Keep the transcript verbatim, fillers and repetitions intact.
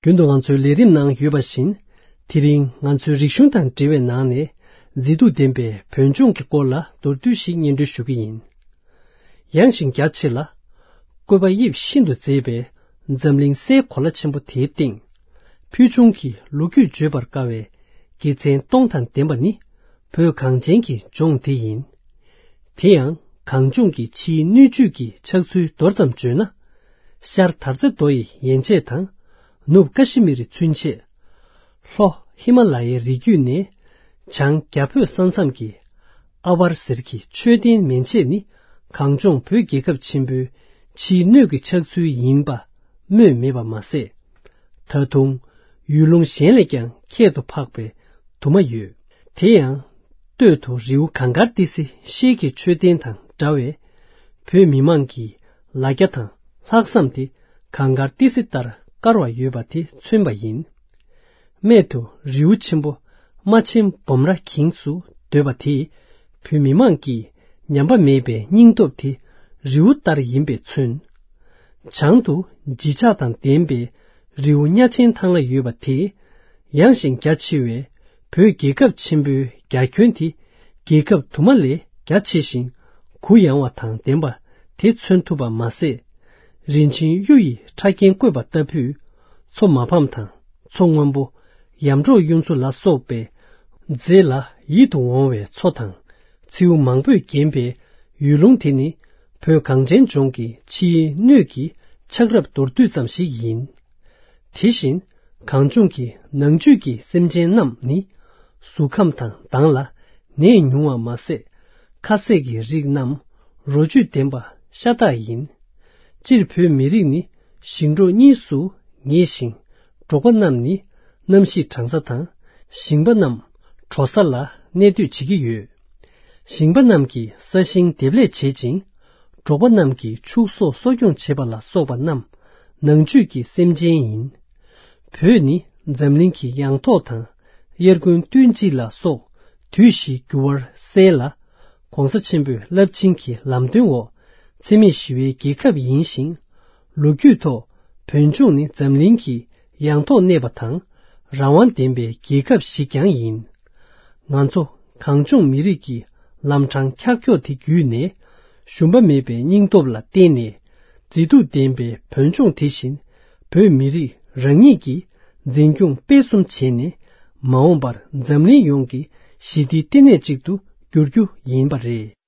རྒྱུན་དུ་ང་ཚོའི་ལས་རིམ་ནང་ཡོད་པ་བཞིན། དེ་རིང་ང་ཚོའི་རིག་གཞུང་དང་འབྲེལ་བའི་ནང་ནས་མཛེས་སྡུག་ལྡན་པའི་བོད་ལྗོངས་ཀྱི་སྐོར་ལ་མདོར་བསྡུས་ཤིག་སྙན་སྒྲོན་ཞུ་གི་ཡིན། ཡངས་ཤིང་རྒྱ་ཆེ་ལ། བཀོད་པ་དབྱིབས་ཤིན་ཏུ་མཛེས་པའི་འཛམ་གླིང་སའི་གོ་ལ་ཆེན་པོ་དེའི་སྟེང་། ཕུལ་བྱུང་གི་ལོ་རྒྱུས་བརྗོད་པར་དཀའ་བའི་དགེ་མཚན་སྟོང་དང་ལྡན་པ་ནི་བོད་གངས་ཅན་གྱི་ལྗོངས་འདི་ཡིན། དེ་ཡང་གངས་ལྗོངས་ཀྱི་ཕྱིའི་སྣོད་བཅུད་ཀྱི་ཆགས་ཚུལ་མདོར་ཙམ་བརྗོད་ན། ཤར་དར་རྩེ་མདོ་ཡི་ཡན་ཆད་དང་། ནུབ་ཀ་ཤི་མིར་ཚུན་ཆད། ལྷོ་ཧི་མ་ལ་ཡའི་རི་རྒྱུད་ནས་བྱང་རྒྱ་བོད་ས་མཚམས་ཀྱི་ཨ་ཝར་ཟེར་གྱི་མཆོད་རྟེན་མན་ཆད་ནི་གངས་ལྗོངས་བོད་རྒྱལ་ཁབ་ཆེན་པོའི་ཕྱིའི་སྣོད་ཀྱི་ཆགས་ཚུལ་ཡིན་པ་སྨོས་མེད་པ་མ་ཟད། ད་དུང་ཡུལ་ལུང་གཞན་ལས་ཀྱང་ཁྱད་དུ་འཕགས་པའི་དུ་མ་ཡོད། དེ་ཡང་སྟོད་དུ་རི་བོ་གངས་དཀར་ཏི་སེ་ཤེལ་གྱི་མཆོད་རྟེན་དང་འདྲ་བས། བོད་མི་མང་གི་ལ་རྒྱ་དང་ལྷག་བསམ་དེ་གངས་དཀར་ཏི་སེ་ལྟར་དཀར་བ་ཡོད་པ་དེ་མཚོན་པ་ཡིན། སྨད་དུ་རི་བོ་ཆེན་པོ་རྨ་ཆེན་སྦོམ་ར་གིང་སུ་འདོད་པ་དེས་བོད་མི་མང་གི་ཉམས་པ་མེད་པའི་སྙིང་སྟོབས་དེ་རི་བོ་ལྟར་ཡིན་པས་མཚོན། བྱང་དུ་བརྗིད་ཆགས་དང་ལྡན་པའི་རི་བོ་གཉའ་ཆེན་ཐང་ལ་ཡོད་པ་དེས་ཡངས་ཤིང་རྒྱ་ཆེ་བའི་བོད་རྒྱལ་ཁབ་ཆེན་པོའི་རྒྱ་ཁྱོན་དེ་རྒྱལ་ཁབ་དུ་མ་ལས་རྒྱ་ཆེ་ཞིང་གུ་ཡངས་བ་དང་ལྡན་པ་དེ་མཚོན་ཐུབ་པ་མ་ཟད། རིན་ཆེན་གཡུ་ཡི་ཕྲ་རྒྱན་བཀོད་པ་ལྟ་བུས་མཚོ་མ་ཕམ་དང་མཚོ་སྔོན་པོ། ཡར་འབྲོག་གཡུ་མཚོ་ལ་སོགས་པའི་མཛེས་ལ་ཡིད་དུ་འོང་བའི་མཚོ་དང་། མཚེའུ་མང་པོས་བརྒྱན་པའི་ཡུལ་ལུང་དེ་ནི་བོད་གངས་ཅན་ལྗོངས་ཀྱི་ཕྱིའི་སྣོད་ཀྱི་ཆགས་རབས་མདོར་བསྡུས་ཙམ་ཞིག་ཡིན། དེ་བཞིན་གངས་ལྗོངས་ཀྱི་ནང་བཅུད་ཀྱི་སེམས་ཅན་རྣམས་ནི་གཟུགས་ཁམས་དང་མདངས་ལ་ནད་ཉུང་བ་མ་ཟད། ཁ་ཟས་ཀྱི་རིགས་རྣམས་རོ་བཅུད་ལྡན་པ་ཤ་སྟག་ཡིན། སྤྱིར་བོད་མི་རིགས་ནི་ཞིང་འབྲོག་གཉིས་སུ་ངེས་ཤིང་། འབྲོག་པ་རྣམས་ནི་གནམ་གཤིས་གྲང་ས་དང་ཞིང་པ་རྣམས་དྲོ་ས་ལ་གནས་སྡོད་བྱེད་ཀྱི་ཡོད། ཞིང་པ་རྣམས་ཀྱིས་ས་ཞིང་འདེབས་ལས་བྱེད་ཅིང་། འབྲོག་པ་རྣམས་ཀྱིས་ཕྱུགས་ཟོག་གསོ་སྐྱོང་བྱེད་པ་ལ་སོགས་པ་རྣམས་ནང་བཅུད་ཀྱི་སེམས་ཅན་ཡིན། བོད་ནི་འཛམ་གླིང་གི་ཡང་ཐོག་དང་། དབྱར་དགུན་སྟོན་དཔྱིད་ལ་སོགས་དུས་བཞིའི་འགྱུར་བར་གསལ་ལ། ༸གོང་ས་ཆེན་པོའི་རླབས་ཆེན་གྱི་ལམ་སྟོན་འོག་འཚེ་མེད་ཞི་བའི་རྒྱལ་ཁབ་ཡིན་ཞིང་། ལོ་རྒྱུས་ཐོག་བོད་ལྗོངས་ནི་འཛམ་གླིང་གི་ཡང་ཐོག་གནས་པ་དང་། རང་དབང་ལྡན་པའི་རྒྱལ་ཁབ་ཞིག་ཀྱང་ཡིན། ང་ཚོ་གངས་ལྗོངས་མི་རིགས་ཀྱི་ལམ་འཕྲང་འཁྱག་འཁྱོག་དེ་བརྒྱུད་ནས། ཞུམ་པ་མེད་པའི་སྙིང་སྟོབས་ལ་བརྟེན་ནས། མཛེས་སྡུག་ལྡན་པའི་བོད་ལྗོངས་དེ་བཞིན་བོད་མི་རིགས་རང་ཉིད་ཀྱིས་འཛིན་སྐྱོང་སྤེལ་གསུམ་བྱས་ནས། མ་འོངས་པར་འཛམ་གླིང་ཡོངས་ཀྱི་ཞི་བདེའི་ལྟེ་གནས་ཅིག་ཏུ་འགྱུར་རྒྱུ་ཡིན་པ་རེད།